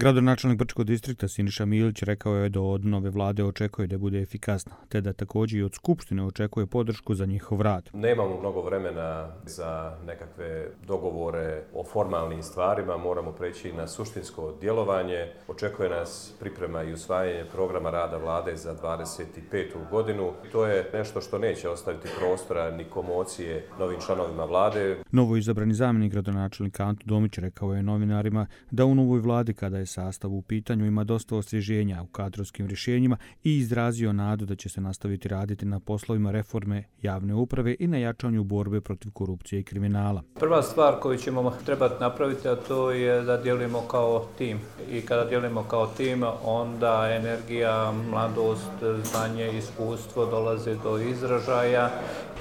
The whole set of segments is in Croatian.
Gradonačelnik Brčkog distrikta Siniša Milić rekao je da od nove vlade očekuje da bude efikasna, te da također i od Skupštine očekuje podršku za njihov rad. Nemamo mnogo vremena za nekakve dogovore o formalnim stvarima, moramo preći na suštinsko djelovanje. Očekuje nas priprema i usvajanje programa rada vlade za 25. godinu. To je nešto što neće ostaviti prostora ni komocije novim članovima vlade. Novo izabrani zamjenik gradonačelnika Anto Domić rekao je novinarima da u novoj vladi, kada je sastav u pitanju, ima dosta osvježenja u kadrovskim rješenjima i izrazio nadu da će se nastaviti raditi na poslovima reforme javne uprave i na jačanju borbe protiv korupcije i kriminala. Prva stvar koju ćemo trebati napraviti, a to je da djelujemo kao tim. I kada djelujemo kao tim, onda energija, mladost, znanje, iskustvo dolaze do izražaja,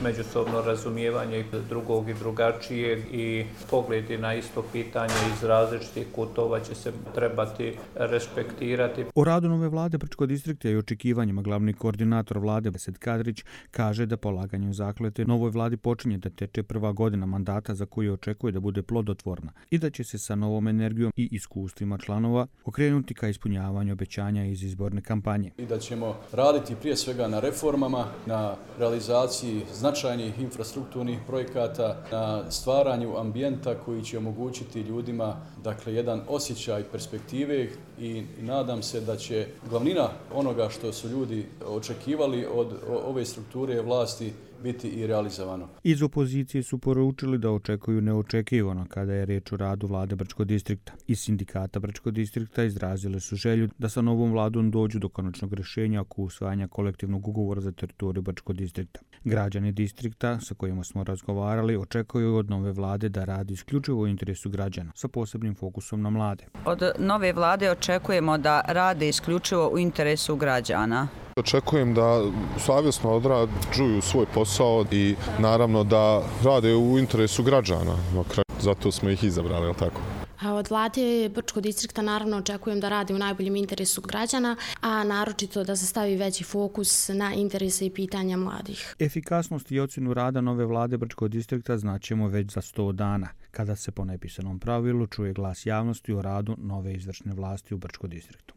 međusobno razumijevanje drugog i drugačijeg i pogledi na isto pitanje iz različitih kutova će se trebati respektirati. O radu nove vlade Brčkog distrikta i očekivanjima glavni koordinator vlade Besed Kadrić kaže da polaganjem zakletve novoj vladi počinje da teče prva godina mandata za koju očekuje da bude plodotvorna i da će se sa novom energijom i iskustvima članova okrenuti ka ispunjavanju obećanja iz izborne kampanje. I da ćemo raditi prije svega na reformama, na realizaciji značajnih infrastrukturnih projekata, na stvaranju ambijenta koji će omogućiti ljudima jedan osjećaj perspektive i nadam se da će glavnina onoga što su ljudi očekivali od ove strukture vlasti biti i realizovano. Iz opozicije su poručili da očekuju neočekivano kada je riječ o radu vlade Brčkog distrikta. Iz sindikata Brčkog distrikta izrazili su želju da sa novom vladom dođu do konačnog rješenja oko usvajanja kolektivnog ugovora za teritoriju Brčkog distrikta. Građani distrikta sa kojima smo razgovarali očekuju od nove vlade da radi isključivo u interesu građana, sa posebnim fokusom na mlade. Od nove vlade očekujemo da rade isključivo u interesu građana. Očekujem da savjesno odrađuju svoj posao i naravno da rade u interesu građana. Zato smo ih izabrali, je li tako? Od vlade Brčkog distrikta naravno očekujem da radi u najboljem interesu građana, a naročito da se stavi veći fokus na interese i pitanja mladih. Efikasnost i ocjenu rada nove vlade Brčkog distrikta znaćemo već za 100 dana, kada se po nepisanom pravilu čuje glas javnosti o radu nove izvršne vlasti u Brčkom distriktu.